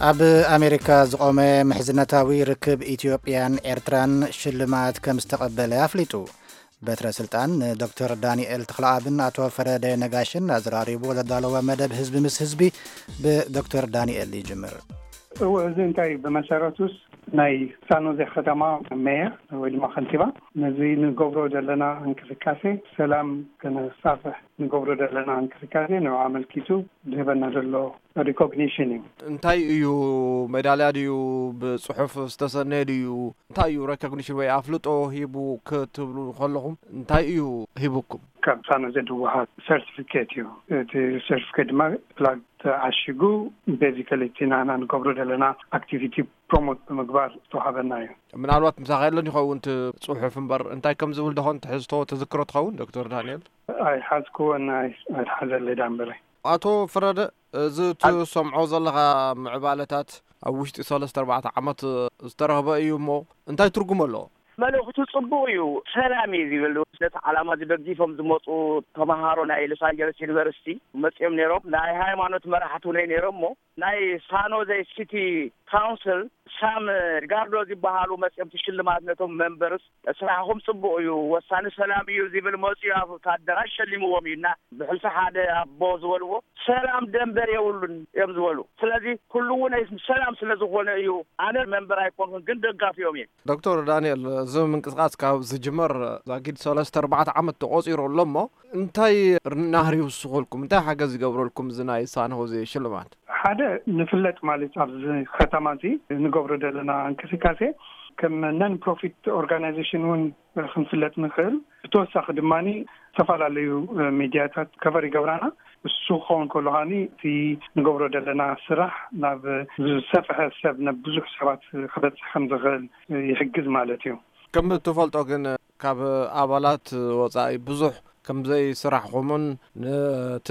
ኣብ ኣሜሪካ ዝቖመ ምሕዝነታዊ ርክብ ኢትዮጵያን ኤርትራን ሽልማት ከም ዝተቐበለ ኣፍሊጡ። በትረ ስልጣን ንዶክተር ዳንኤል ተኽለኣብን ኣቶ ፈረደ ነጋሽን ኣዘራሪቡ ዘዳለወ መደብ ህዝቢ ምስ ህዝቢ ብዶክተር ዳንኤል ይጅምር። እዎ፣ እዚ እንታይ ብመሰረቱስ ናይ ሳኖዜ ከተማ ሜየር ወይ ድማ ከንቲባ ነዚ ንገብሮ ዘለና እንቅስቃሴ ሰላም ከነሳፍሕ ንገብሮ ዘለና እንቅስቃሴ ንዑ ኣመልኪቱ ዝህበና ዘሎ ሪኮግኒሽን እዩ። እንታይ እዩ? ሜዳልያ ድዩ? ብፅሑፍ ዝተሰነየ ድዩ? እንታይ እዩ ሬኮግኒሽን ወይ ኣፍልጦ ሂቡ ክትብሉ ከለኹም እንታይ እዩ ሂቡኩም? ካብ ሳኖዜ ዝወሃብ ሰርቲፊኬት እዩ። እቲ ሰርቲፊኬት ድማ ፕላግ ተዓሺጉ፣ ቤዚካሊ እቲ ናና ንገብሮ ዘለና ኣክቲቪቲ ፕሮሞት ብምግባር ዝተዋሃበና እዩ። ምናልባት ምሳኻ የለን ይኸውን እቲ ፅሑፍ እምበር እንታይ ከም ዝብል ደኾን ትሕዝቶ ትዝክሮ ትኸውን ዶክተር ዳንኤል? ኣይሓዝክዎን ኣይሓዘለይ ዳንበረይ። ኣቶ ፍረደ፣ እዚ ትሰምዖ ዘለኻ ምዕባለታት ኣብ ውሽጢ ሰለስተ ኣርባዕተ ዓመት ዝተረኽበ እዩ እሞ እንታይ ትርጉም ኣለዎ? መልእኽቱ ጽቡቕ እዩ፣ ሰላም እዩ ዝብል። ነቲ ዓላማ እዚ ደጊፎም ዝመጹ ተመሃሮ ናይ ሎስ ኣንጀለስ ዩኒቨርሲቲ መጺኦም ነይሮም። ናይ ሃይማኖት መራሕቲ እውን ነይሮም እሞ ናይ ሳኖዘ ሲቲ ካውንስል ሳም ጋርዶ ዝበሃሉ መጺኦም እቲ ሽልማት ነቶም መንበርስ ስራሕኹም ጽቡቕ እዩ፣ ወሳኒ ሰላም እዩ ዝብል መጺኡ ኣብቲ ኣደራሽ ሸሊምዎም እዩ እና ብሕልፊ ሓደ ኣቦ ዝበልዎ ሰላም ደንበር የብሉን እዮም ዝበሉ። ስለዚ ኩሉ እውን ሰላም ስለ ዝኾነ እዩ። ኣነ መንበር ኣይኮንኩን ግን ደጋፊኦም እየ። ዶክተር ዳንኤል፣ እዚ ምንቅስቃስ ካብ ዝጅመር ዛጊድ ሰለስተ ኣርባዕተ ዓመት ተቆፂሩ ኣሎ እሞ እንታይ ናህሪ ይውስኸልኩም? እንታይ ሓገዝ ይገብረልኩም እዚ ናይ ሳን ሆዜ ሽልማት? ሓደ ንፍለጥ ማለት ኣብዚ ከተማ እዚ ንገብሮ ዘለና እንቅስቃሴ ከም ነን ፕሮፊት ኦርጋናይዜሽን እውን ክንፍለጥ ንኽእል። ብተወሳኺ ድማ ዝተፈላለዩ ሚዲያታት ከቨር ይገብራና። እሱ ክኸውን ከሎ ከዓኒ እቲ ንገብሮ ዘለና ስራሕ ናብ ዝሰፍሐ ሰብ ናብ ብዙሕ ሰባት ክበፅሕ ከም ዝኽእል ይሕግዝ ማለት እዩ። ከም ትፈልጦ ግን ካብ ኣባላት ወፃኢ ብዙሕ ከም ዘይስራሕኹምን ነቲ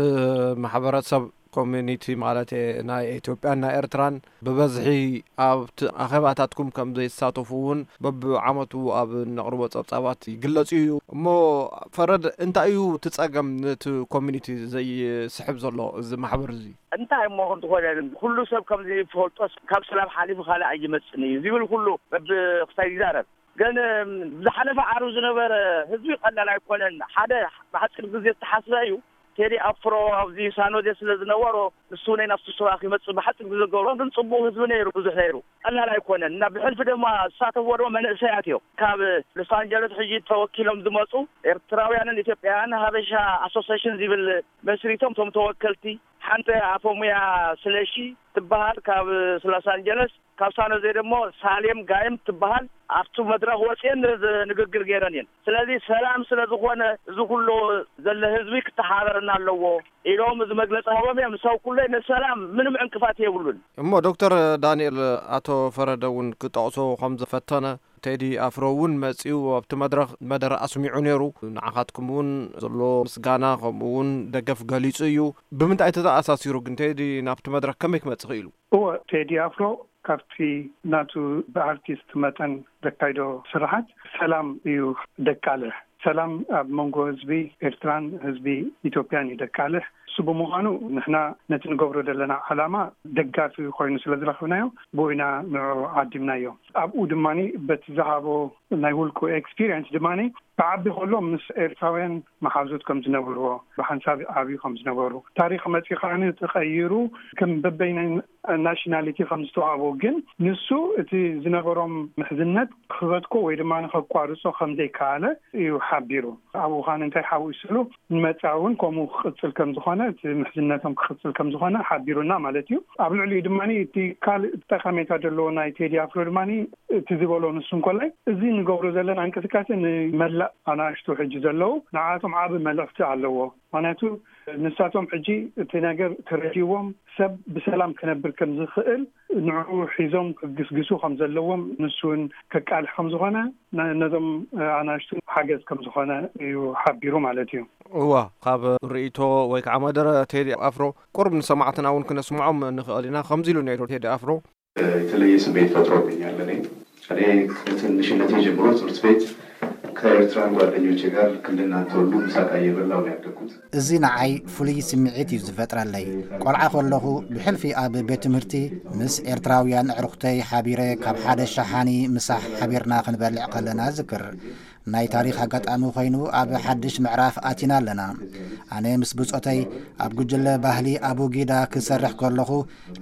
ማሕበረሰብ ኮሚኒቲ ማለት ናይ ኢትዮጵያን ናይ ኤርትራን ብበዝሒ ኣብቲ ኣኼባታትኩም ከም ዘይሳተፉ እውን በብዓመቱ ኣብ ነቕርቦ ጸብጻባት ይግለጽ እዩ። እሞ ፈረድ እንታይ እዩ እቲ ጸገም ነቲ ኮሚኒቲ ዘይስሕብ ዘሎ እዚ ማሕበር እዚ? እንታይ እሞ እንተኾነ ኩሉ ሰብ ከምዚ ይፈልጦስ ካብ ሰላም ሓሊፉ ካልእ ኣይመጽን እዩ ዝብል ኩሉ በብኽሳይ ይዛረብ። ግን ዝሓለፈ ዓርቢ ዝነበረ ህዝቢ ቀላል ኣይኮነን። ሓደ ብሓፂር ግዜ ዝተሓስበ እዩ። ቴዲ ኣፍሮ ኣብዚ ሳኖዜ ስለ ዝነበሮ ንሱ እውን ናብቲ ስዋ ክመፅእ ብሓፂር ግዜ ዝገብሮ ግን ፅቡቕ ህዝቢ ነይሩ፣ ብዙሕ ነይሩ፣ ቀላል ኣይኮነን እና ብሕልፊ ድማ ዝሳተፍዎ ድማ መንእሰያት እዮም። ካብ ሎስ ኣንጀለስ ሕጂ ተወኪሎም ዝመፁ ኤርትራውያንን ኢትዮጵያውያን ሃበሻ ኣሶሴሽን ዝብል መስሪቶም እቶም ተወከልቲ ሓንቲ ኣፈሙያ ስለሺ ትበሃል ካብ ሎስ ኣንጀለስ ካብ ሳኖዜ ደሞ ሳሌም ጋይም ትበሃል ኣብቲ መድረኽ ወፅየን ንግግር ገይረን እየን። ስለዚ ሰላም ስለ ዝኾነ እዚ ኩሉ ዘሎ ህዝቢ ክተሓባበረና ኣለዎ ኢሎም እዚ መግለፂ ሃቦም እዮም። ንሰብ ኩለይ ንሰላም ምንም ዕንቅፋት የብሉን። እሞ ዶክተር ዳንኤል ኣቶ ፈረደ እውን ክጠቕሶ ከም ዝፈተነ ቴዲ ኣፍሮ እውን መፂኡ ኣብቲ መድረኽ መደረ ኣስሚዑ ነይሩ። ንዓኻትኩም እውን ዘሎ ምስጋና ከምኡ እውን ደገፍ ገሊፁ እዩ። ብምንታይ ተተኣሳሲሩ ግን ቴዲ ናብቲ መድረኽ ከመይ ክመፅእ ክኢሉ? እወ ቴዲ ኣፍሮ ካብቲ ናቱ ብኣርቲስት መጠን ዘካይዶ ስራሓት ሰላም እዩ ደቃልሕ። ሰላም ኣብ መንጎ ህዝቢ ኤርትራን ህዝቢ ኢትዮጵያን እዩ ደቃልሕ። እሱ ብምዃኑ ንሕና ነቲ ንገብሮ ዘለና ዓላማ ደጋፊ ኮይኑ ስለ ዝረኽብናዮ ብኡ ኢና ንዑ ዓዲምናዮ። ኣብኡ ድማ በቲ ዝሃቦ ናይ ውልቁ ኤክስፒሪየንስ ድማ ክዓቢ ከሎ ምስ ኤርትራውያን መሓዙት ከም ዝነበርዎ ብሓንሳብ ዓብዩ ከም ዝነበሩ ታሪኽ መፂኡ ከዓ ተቐይሩ ከም በበይናይ ናሽናሊቲ ከም ዝተዋሃቦ ግን ንሱ እቲ ዝነበሮም ምሕዝነት ክበትኮ ወይ ድማ ከቋርፆ ከም ዘይከኣለ እዩ ሓቢሩ። ኣብኡ ከዓ እንታይ ሓዊስሉ ንመፃ እውን ከምኡ ክቕፅል ከም ዝኾነ እቲ ምሕዝነቶም ክቕፅል ከም ዝኾነ ሓቢሩና ማለት እዩ። ኣብ ልዕሊኡ ድማ እቲ ካልእ ጠቐሜታ ዘለዎ ናይ ቴዲ ኣፍሮ ድማ እቲ ዝበሎ ንሱ እንኮላይ እዚ ንገብሮ ዘለና እንቅስቃሴ ንመላእ ኣናእሽቱ ሕጂ ዘለዉ ንዓቶም ዓቢ መልእኽቲ ኣለዎ። ምክንያቱ ንሳቶም ሕጂ እቲ ነገር ተረዲዎም ሰብ ብሰላም ክነብር ከም ዝኽእል ንዕኡ ሒዞም ክግስግሱ ከም ዘለዎም ንሱ እውን ከቃልሕ ከም ዝኾነ ነዞም ኣናእሽቱ ሓገዝ ከም ዝኾነ እዩ ሓቢሩ ማለት እዩ። እዋ ካብ ርእይቶ ወይ ከዓ መደረ ቴዲ ኣፍሮ ቁርብ ንሰማዕትና እውን ክነስምዖም ንኽእል ኢና። ከምዚ ኢሉ ነይሩ ቴዲ ኣፍሮ። የተለየ ስሜት ፈጥሮብኛል። እኔ እኔ ከትንሽነቴ ጀምሮ ትምህርት ቤት ከኤርትራን ጓደኞቼ ጋር ክንድና ተወልዱ ምሳቃ እየበላሁ ነው ያደግኩት። እዚ ንዓይ ፍሉይ ስምዒት እዩ ዝፈጥረለይ። ቆልዓ ከለኹ ብሕልፊ ኣብ ቤት ትምህርቲ ምስ ኤርትራውያን ኣዕሩኽተይ ሓቢረ ካብ ሓደ ሸሓኒ ምሳሕ ሓቢርና ክንበልዕ ከለና ዝክር። ናይ ታሪኽ ኣጋጣሚ ኮይኑ ኣብ ሓድሽ ምዕራፍ ኣቲና ኣለና። ኣነ ምስ ብጾተይ ኣብ ጉጅለ ባህሊ ኣቡጊዳ ክሰርሕ ከለኹ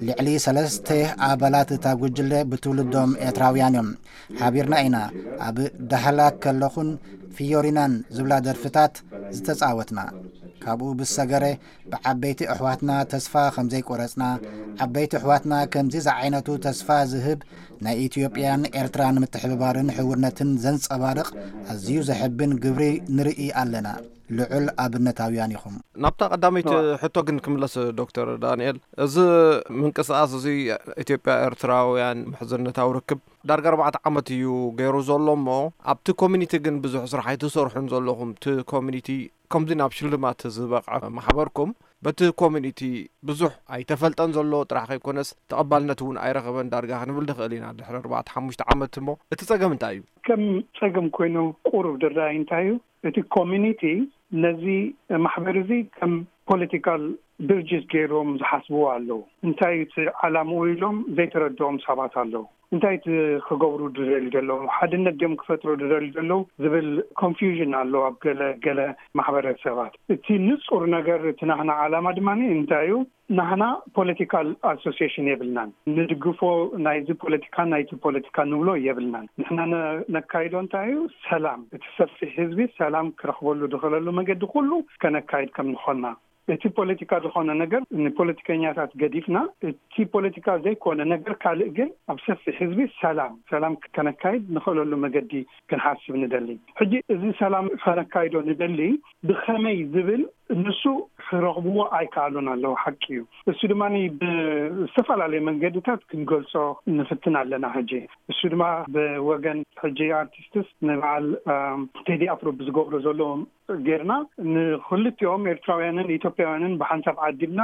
ልዕሊ ሰለስተ ኣባላት እታ ጉጅለ ብትውልዶም ኤርትራውያን እዮም። ሓቢርና ኢና። ኣብ ዳህላክ ከለኹን ፊዮሪናን ዝብላ ደርፍታት ዝተጻወትና። ካብኡ ብዝሰገረ ብዓበይቲ ኣሕዋትና ተስፋ ከም ዘይቆረጽና፣ ዓበይቲ ኣሕዋትና ከምዚ ዝዓይነቱ ተስፋ ዝህብ ናይ ኢትዮጵያን ኤርትራን ምትሕብባርን ሕውነትን ዘንጸባርቕ ኣዝዩ ዘሕብን ግብሪ ንርኢ ኣለና። ልዑል ኣብነታውያን ኢኹም። ናብታ ቀዳመይቲ ሕቶ ግን ክምለስ፣ ዶክተር ዳንኤል፣ እዚ ምንቅስቃስ እዚ ኢትዮጵያ ኤርትራውያን ምሕዝነታዊ ርክብ ዳርጋ ኣርባዕተ ዓመት እዩ ገይሩ ዘሎ እሞ፣ ኣብቲ ኮሚኒቲ ግን ብዙሕ ስራሕ ኣይትሰርሑን ዘለኹም። እቲ ኮሚኒቲ ከምዚ ናብ ሽልማት ዝበቕዐ ማሕበርኩም በቲ ኮሚኒቲ ብዙሕ ኣይተፈልጠን ዘሎ ጥራሕ ከይኮነስ ተቐባልነት እውን ኣይረኸበን ዳርጋ ክንብል ንኽእል ኢና ድሕሪ ኣርባዕተ ሓሙሽተ ዓመት። እሞ እቲ ጸገም እንታይ እዩ? ከም ጸገም ኮይኑ ቁሩብ ዝረኣይ እንታይ እዩ? እቲ ኮሚኒቲ ነዚ ማሕበር እዚ ከም ፖለቲካል ድርጅት ገይሮም ዝሓስብዎ ኣለዉ። እንታይ እቲ ዓላምኡ ኢሎም ዘይተረድኦም ሰባት ኣለዉ። እንታይ እቲ ክገብሩ ዝደልዩ ዘለዉ? ሓድነት ድዮም ክፈጥሩ ዝደልዩ ዘለዉ ዝብል ኮንፊውዥን ኣሎ ኣብ ገለ ገለ ማሕበረሰባት። እቲ ንጹር ነገር፣ እቲ ናህና ዓላማ ድማ እንታይ እዩ? ናህና ፖለቲካል ኣሶሲዬሽን የብልናን። ንድግፎ ናይዚ ፖለቲካ ናይቲ ፖለቲካ ንብሎ የብልናን። ንሕና ነ-፣ ነካይዶ እንታይ እዩ? ሰላም፣ እቲ ሰፊሕ ህዝቢ ሰላም ክረኽበሉ ዝኽእለሉ መገዲ ኩሉ ከነካይድ ከም ዝኾንና። እቲ ፖለቲካ ዝኾነ ነገር ንፖለቲከኛታት ገዲፍና፣ እቲ ፖለቲካ ዘይኮነ ነገር ካልእ ግን ኣብ ሰፊሕ ህዝቢ ሰላም፣ ሰላም ከነካይድ ንኽእለሉ መገዲ ክንሓስብ ንደሊ። ሕጂ እዚ ሰላም ከነካይዶ ንደሊ ብኸመይ ዝብል ንሱ ክረኽብዎ ኣይከኣሉን ኣለዉ። ሓቂ እዩ። እሱ ድማ ብዝተፈላለየ መንገድታት ክንገልጾ ንፍትን ኣለና። ሕጂ እሱ ድማ ብወገን ሕጂ ኣርቲስትስ ንበዓል፣ ኣም፣ ቴዲ ኣፍሮ ብዝገብሮ ዘሎ ጌርና ንክልቲኦም ኤርትራውያንን ኢትዮጵያውያንን ብሓንሳብ ዓዲምና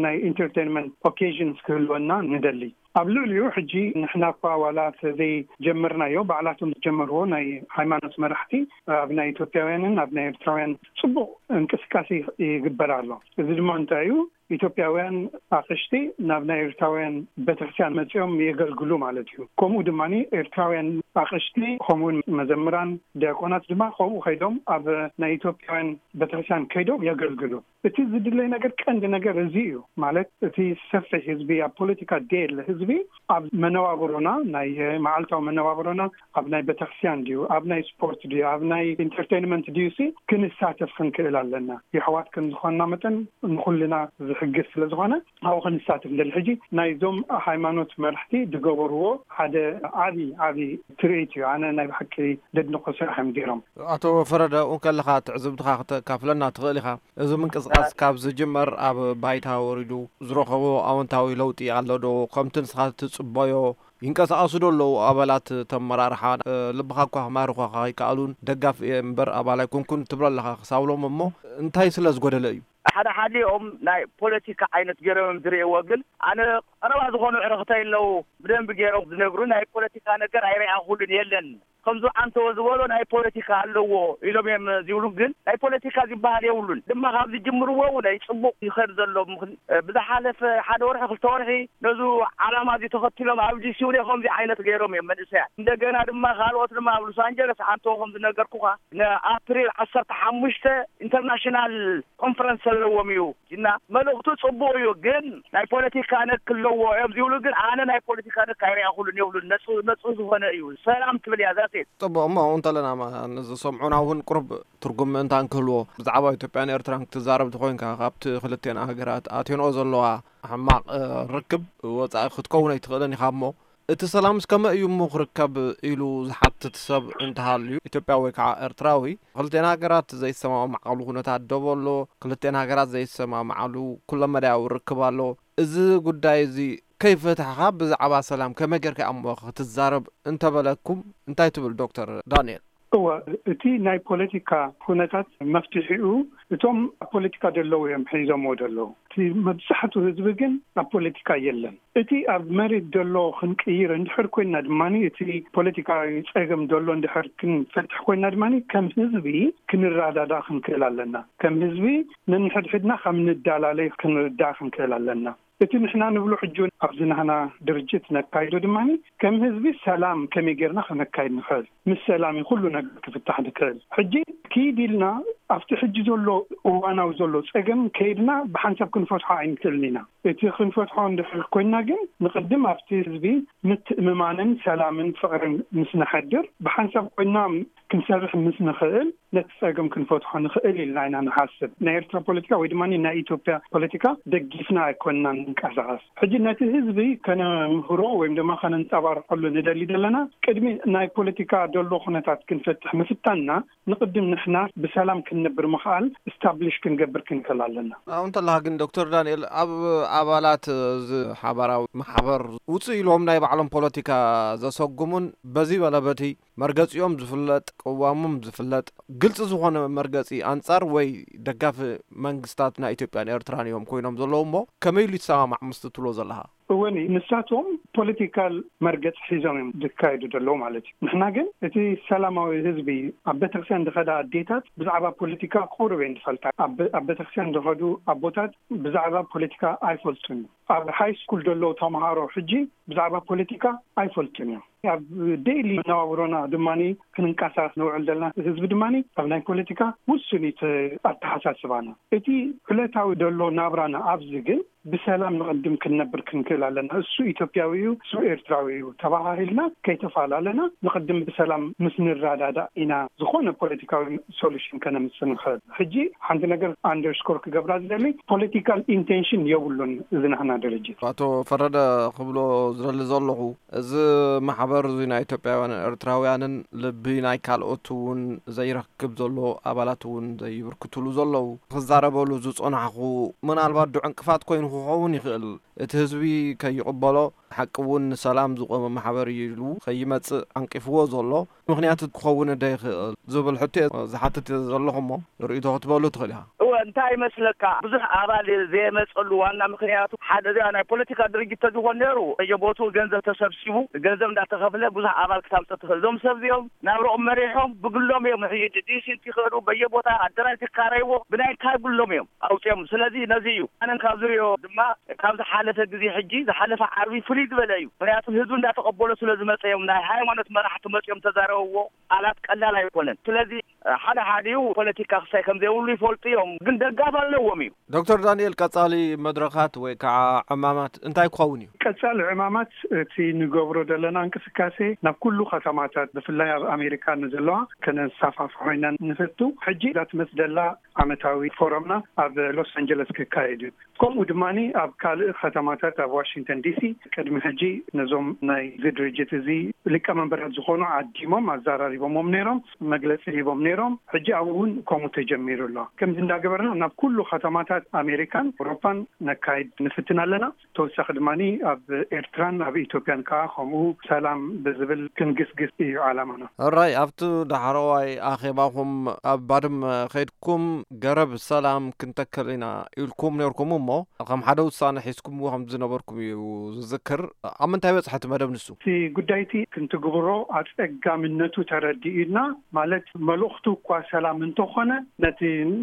ናይ ኢንተርቴንመንት ኦኬዥንስ ክህልወና ንደሊ። ኣብ ልዕሊኡ ሕጂ ንሕና እኳ ዋላ ዘይጀመርናዮ፣ ባዕላቶም ዝጀመርዎ ናይ ሃይማኖት መራሕቲ ኣብ ናይ ኢትዮጵያውያንን ኣብ ናይ ኤርትራውያን ጽቡቕ እንቅስቃሴ ይግበር ኣሎ። እዚ ድማ እንታይ እዩ? ኢትዮጵያውያን ኣቕሽቲ ናብ ናይ ኤርትራውያን ቤተክርስትያን መጺኦም የገልግሉ ማለት እዩ። ከምኡ ድማ ኤርትራውያን ኣቕሽቲ ከምኡውን መዘምራን ዲያቆናት ድማ ከምኡ ከይዶም ኣብ ናይ ኢትዮጵያውያን ቤተክርስትያን ከይዶም የገልግሉ። እቲ ዝድለይ ነገር፣ ቀንዲ ነገር እዚ እዩ። ማለት እቲ ሰፊሕ ህዝቢ፣ ኣብ ፖለቲካ ደየለ ህዝቢ ኣብ መነባብሮና፣ ናይ መዓልታዊ መነባብሮና፣ ኣብ ናይ ቤተክርስትያን ድዩ፣ ኣብ ናይ ስፖርት ድዩ፣ ኣብ ናይ ኢንተርቴይንመንት ድዩ ሲ ክንሳተፍ ክንክእል ኣለና። የሕዋት ከም ዝኾንና መጠን ንኹልና ዝሕግዝ ስለ ዝኾነ ኣብኡ ክንሳተፍ ንደሊ። ሕጂ ናይዞም ሃይማኖት መራሕቲ ዝገበርዎ ሓደ ዓቢ ዓቢ ትርኢት እዩ። ኣነ ናይ ብሓቂ ደድንቆ ስራሕ እዮም ገይሮም። ኣቶ ፈረደ፣ ኣብኡ ከለኻ ትዕዝብትኻ ክተካፍለና ትኽእል ኢኻ? እዚ ምንቅስቃስ ካብ ዝጅመር ኣብ ባይታ ወሪዱ ዝረኸቦ ኣወንታዊ ለውጢ ኣሎ ዶ? ከምቲ ንስኻ ትጽበዮ ይንቀሳቐሱ ዶ ኣለዉ ኣባላት እቲ ኣመራርሓ? እ፣ ልብኻ እኳ ክማርኹኻ ኣይከኣሉን፣ ደጋፊ እየ እምበር ኣባል ኣይኮንኩን ትብሎ ኣለኻ ክሳብ ሎም። እሞ እንታይ ስለ ዝጎደለ እዩ? ሓደ ሓዲኦም ናይ ፖለቲካ ዓይነት ገይሮም እዮም ዝርእይዎ፣ ግን ኣነ ቀረባ ዝኾኑ ዕርኽተይ ኣለዉ፣ ብደንቢ ገይሮም ዝነግሩ፣ ናይ ፖለቲካ ነገር ኣይረኣኹሉን፣ የለን። ከምዚ ዓንተዎ ዝበሎ ናይ ፖለቲካ ኣለዎ ኢሎም እዮም ዝብሉ፣ ግን ናይ ፖለቲካ ዝበሃል የብሉን። ድማ ካብ ዝጅምርዎ እውን ኣይጽቡቕ ይኸድ ዘሎ። ምኽን-፣ ብዝሓለፈ ሓደ ወርሒ፣ ክልተ ወርሒ ነዚ ዓላማ እዚ ተኸቲሎም ኣብ ዲሲ እውን ከምዚ ዓይነት ገይሮም እዮም መንእሰያት። እንደገና ድማ ካልኦት ድማ ኣብ ሎስ ኣንጀለስ ዓንተዎ ከም ዝነገርኩኻ ንኣፕሪል ዓሰርተ ሓሙሽተ ኢንተርናሽናል ኮንፈረንስ ኣለዎም እዩ። እና መልእኽቱ ጽቡቕ እዩ፣ ግን ናይ ፖለቲካ ነክ ኣለዎ እዮም ዝብሉ፣ ግን ኣነ ናይ ፖለቲካ ነክ ኣይረኣኹሉን የብሉን። ነጹ-፣ ነጹ ዝኾነ እዩ። ሰላም ትብል እያ ዛሴት። ጽቡቕ፣ እሞ ኣብኡ እንተለና ማ-፣ ንዝሰምዑና እውን ቁሩብ ትርጉም ምእንታን ክህልዎ፣ ብዛዕባ ኢትዮጵያን ኤርትራን ክትዛረብ ተኾይንካ፣ ካብቲ ክልቴን ሃገራት ኣትዮንኦ ዘለዋ ሕማቕ፣ እ፣ ርክብ ወጻኢ ክትከውን ኣይትኽእልን ኢኻ። እሞ እቲ ሰላምስ ከመይ እዩ እሞ ክርከብ ኢሉ ዝሓትት ሰብ እንተሃልዩ፣ ኢትዮጵያዊ ወይ ከዓ ኤርትራዊ፣ ክልቴን ሃገራት ዘይሰማማዓሉ ኩነታት ዶብ ኣሎ፣ ክልቴን ሃገራት ዘይሰማማዓሉ ኩለመዳያዊ ርክብ ኣሎ። እዚ ጉዳይ እዚ ከይፈታሕኻ ብዛዕባ ሰላም ከመይ ጌርካ እሞ ክትዛረብ እንተበለኩም እንታይ ትብል ዶክተር ዳንኤል? እወ፣ እቲ ናይ ፖለቲካ ኩነታት መፍትሒኡ እቶም ኣብ ፖለቲካ ዘለዉ እዮም ሒዞምዎ ዘለዉ። እቲ መብዛሕቱ ህዝቢ ግን ኣብ ፖለቲካ የለን። እቲ ኣብ መሬት ዘሎ ክንቅይር እንድሕር ኮይና ድማ፣ እቲ ፖለቲካዊ ጸገም ዘሎ እንድሕር ክንፈትሕ ኮይና ድማ፣ ከም ህዝቢ ክንረዳዳእ ክንክእል ኣለና። ከም ህዝቢ ነንሕድሕድና ከም ንዳላለይ ክንርዳእ ክንክእል ኣለና። እቲ ንሕና ንብሎ ሕጂ እውን ኣብዚ ናህና ድርጅት ነካይዶ ድማ፣ ከም ህዝቢ ሰላም ከመይ ጌርና ከነካይድ ንኽእል፣ ምስ ሰላም እዩ ኩሉ ነገር ክፍታሕ ዝክእል። ሕጂ ኪድ ኢልና ኣብቲ ሕጂ ዘሎ እዋናዊ ዘሎ ጸገም ከይድና ብሓንሳብ ክንፈትሖ ኣይንክእልን ኢና። እቲ ክንፈትሖ እንድሕር ኮይና ግን ንቕድም ኣብቲ ህዝቢ ምትእምማንን ሰላምን ፍቕርን ምስ ነሐድር፣ ብሓንሳብ ኮይና ክንሰርሕ ምስ ንኽእል፣ ነቲ ጸገም ክንፈትሖ ንኽእል ኢልና ኢና ንሓስብ። ናይ ኤርትራ ፖለቲካ ወይ ድማ ናይ ኢትዮጵያ ፖለቲካ ደጊፍና ኣይኮንና ንንቀሳቐስ። ሕጂ ነቲ ህዝቢ ከነምህሮ ወይም ድማ ከነንጸባርቀሉ ንደሊ ዘለና፣ ቅድሚ ናይ ፖለቲካ ዘሎ ኩነታት ክንፈትሕ ምፍታንና፣ ንቕድም ንሕና ብሰላም ክንነብር ምኽኣል፣ ስታብሊሽ ክንገብር ክንክእል ኣለና። ኣብኡ እንተለኻ ግን ዶክተር ዳንኤል፣ ኣብ ኣባላት እዚ ሓባራዊ ማሕበር ውፅእ ኢሎም ናይ ባዕሎም ፖለቲካ ዘሰጉሙን በዚ በለ በቲ መርገፂኦም ዝፍለጥ፣ ቅዋሞም ዝፍለጥ፣ ግልፂ ዝኾነ መርገፂ ኣንፃር ወይ ደጋፊ መንግስታት ናይ ኢትዮጵያን ኤርትራን እዮም ኮይኖም ዘለዉ እሞ፣ ከመይ ኢሉ ይሰማማዕ ምስቲ ትብሎ ዘለኻ? እወ፣ ንሳቶም ፖለቲካል መርገፂ ሒዞም እዮም ዝካየዱ ዘለዉ ማለት እዩ። ንሕና ግን እቲ ሰላማዊ ህዝቢ፣ ኣብ ቤተክርስትያን ዝኸዳ ኣዴታት ብዛዕባ ፖለቲካ ቁሩብ እየን ዝፈልጣ። ኣብ፣ ኣብ ቤተክርስትያን ዝኸዱ ኣቦታት ብዛዕባ ፖለቲካ ኣይፈልጡን። ኣብ ሃይ ስኩል ዘለዉ ተምሃሮ ሕጂ ብዛዕባ ፖለቲካ ኣይፈልጡን እዮም። ኣብ ዴይሊ መነባብሮና ድማ ክንንቀሳቀስ ንውዕል ዘለና ህዝቢ ድማ ኣብ ናይ ፖለቲካ ውሱን እዩ እቲ ኣተሓሳስባና። እቲ ዕለታዊ ዘሎ ናብራና ኣብዚ ግን ብሰላም ንቕድም ክንነብር ክንክእል ኣለና። እሱ ኢትዮጵያዊ እዩ፣ እሱ ኤርትራዊ እዩ ተባሃሂልና ከይተፈላለና ንቕድም ብሰላም ምስ ንረዳዳእ ኢና ዝኾነ ፖለቲካዊ ሶሉሽን ከነምጽእ ንኽእል። ሕጂ ሓንቲ ነገር ኣንደርስኮር ክገብራ ዝደሊ፣ ፖለቲካል ኢንቴንሽን የብሉን እዚ ናህና ድርጅት። ኣቶ ፈረደ ክብሎ ዝደሊ ዘለኹ፣ እዚ ማሕበር እዚ ናይ ኢትዮጵያውያን ኤርትራውያንን ልቢ ናይ ካልኦት እውን ዘይረክብ ዘሎ፣ ኣባላት እውን ዘይብርክትሉ ዘለዉ፣ ክዛረበሉ ዝጸናሕኹ፣ ምናልባት ዶ ዕንቅፋት ኮይኑ ክኸውን ይኽእል። እቲ ህዝቢ ከይቕበሎ፣ ሓቂ እውን ንሰላም ዝቆመ ማሕበር እዩ ኢሉ ከይመጽእ ዓንቂፍዎ ዘሎ ምኽንያት ክኸውን ዶ ይኽእል ዝብል ሕቶ እየ ዝሓትት ዘለኹ እሞ፣ ርእይቶ ክትበሉ ትኽእል ኢኻ። እወ፣ እንታይ ይመስለካ፣ ብዙሕ ኣባል ዘየመጸሉ ዋና ምኽንያቱ፣ ሓደ እዚኣ ናይ ፖለቲካ ድርጅት ተዝኾን ነይሩ፣ በየቦትኡ ገንዘብ ተሰብሲቡ፣ ገንዘብ እንዳተኸፍለ ብዙሕ ኣባል ክታምጽእ ትኽእል። እዞም ሰብ እዚኦም ናብርኦም መሪሖም ብግሎም እዮም። ሕጂ ዲሲ እንትኸዱ በየቦታ ኣደራጅ ይካረይዎ፣ ብናይ ካብ ግሎም እዮም ኣውፅኦም። ስለዚ ነዚ እዩ ኣነን ካብ ዝሪኦ ድማ፣ ካብ ዝሓለፈ ግዜ ሕጂ፣ ዝሓለፈ ዓርቢ ፍልይ ዝበለ እዩ። ምኽንያቱ ህዝቢ እንዳተቐበሎ ስለ ዝመፀ እዮም። ናይ ሃይማኖት መራሕቲ መፂኦም ተዛረብዎ፣ ቃላት ቀላል ኣይኮነን። ስለዚ ሓደ ሓዲኡ ፖለቲካ ክሳይ ከም ዘይብሉ ይፈልጡ እዮም፣ ግን ደጋፍ ኣለዎም እዩ። ዶክተር ዳንኤል፣ ቀጻሊ መድረኻት ወይ ከዓ ዕማማት እንታይ ክኸውን እዩ? ቀጻሊ ዕማማት፣ እቲ ንገብሮ ዘለና እንቅስቃሴ ናብ ኩሉ ከተማታት፣ ብፍላይ ኣብ ኣሜሪካ ንዘለዋ፣ ከነሳፋፍሖ ኢና ንፈቱ። ሕጂ እዛ ትመጽእ ዘላ ዓመታዊ ፎረምና ኣብ ሎስ ኣንጀለስ ክካየድ እዩ። ከምኡ ድማ ኣብ ካልእ ከተማታት፣ ኣብ ዋሽንግተን ዲሲ ቅድሚ ሕጂ ነዞም ናይ እዚ ድርጅት እዚ ሊቀመንበራት ዝኾኑ ዓዲሞም ኣዘራሪቦሞም ነይሮም፣ መግለፂ ሂቦም ነይሮም። ሕጂ ኣብኡ እውን ከምኡ ተጀሚሩ ኣሎ። ከምዚ እንዳገበርና ናብ ኩሉ ከተማታት ኣሜሪካን ኣውሮፓን ነካይድ ንፍትን ኣለና። ተወሳኺ ድማ ኣብ ኤርትራን ኣብ ኢትዮጵያን ከዓ ከምኡ ሰላም ብዝብል ክንግስግስ እዩ ዓላማና። ሕራይ፣ ኣብቲ ዳሕረዋይ ኣኼባኹም ኣብ ባድመ ከይድኩም ገረብ ሰላም ክንተክል ኢና ኢልኩም ነርኩም እሞ፣ ከም ሓደ ውሳነ ሒዝኩምዎ ከም ዝነበርኩም እዩ ዝዝክር። ኣብ ምንታይ በጽሐ እቲ መደብ ንሱ? እቲ ጉዳይ እቲ ክንትግብሮ ኣጸጋምነቱ ተረዲኡና፣ ማለት መልእኽቱ እኳ ሰላም እንተኾነ፣ ነቲ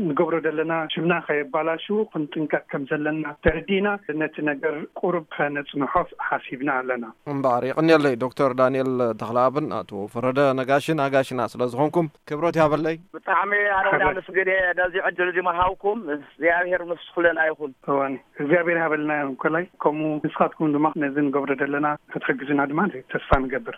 ንገብሮ ዘለና ሽምና ከየባላሽው ክንጥንቀቕ ከም ዘለና ተረዲእና፣ ነቲ ነገር ቁሩብ ከነጽንሖ ሓሲብና ኣለና። እምበኣር፣ የቐንየለይ ዶክተር ዳንኤል ተኽለኣብን ኣቶ ፈረደ ነጋሽን ኣጋሽና ስለ ዝኾንኩም ክብረት ያበለይ። ብጣዕሚ ኣነ እውን ኣመስግን እየ ነዚ ዕድል እዚ ምሃብኩም። እግዚኣብሔር ምስ ኩለና ይኹን። እዋን እግዚኣብሔር ይሃበልና እንኮላይ፣ ከምኡ ንስኻትኩም ድማ ነዚ ንገብሮ ዘለና ክትሕግዙና ድማ ተስፋ ንገብር።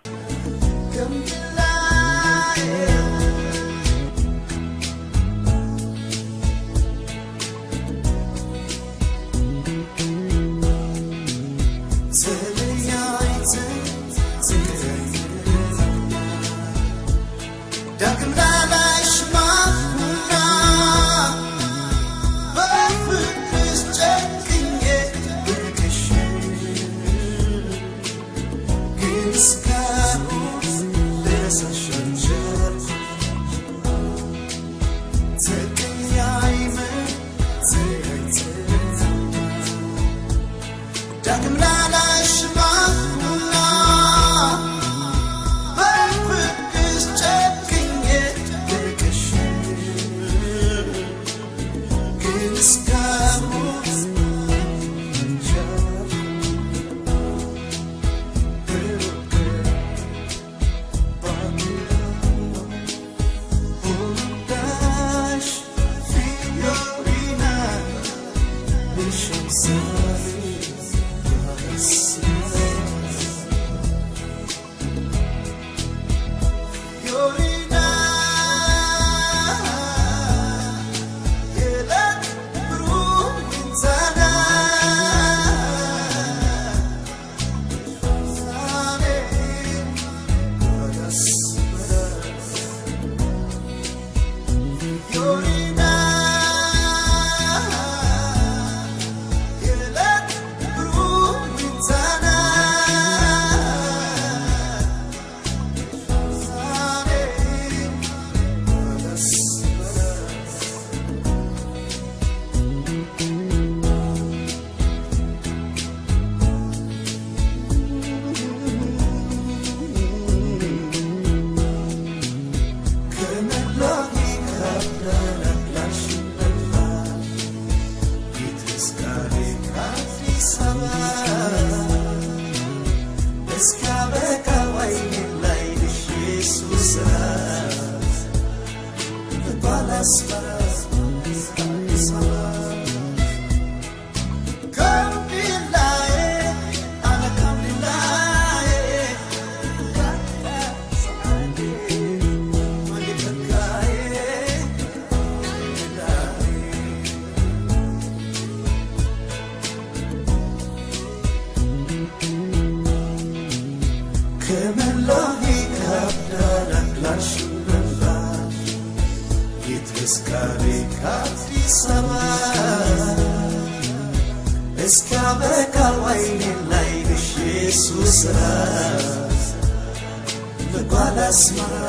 ከመላኺ ካብ ዳላክላሽ ምንባር ይትስካሪ ካብ ኣዲስ ኣበባ እስካ በካ ዋይኒ ናይ ብሽ ሱስራ ልጓል ኣስመራ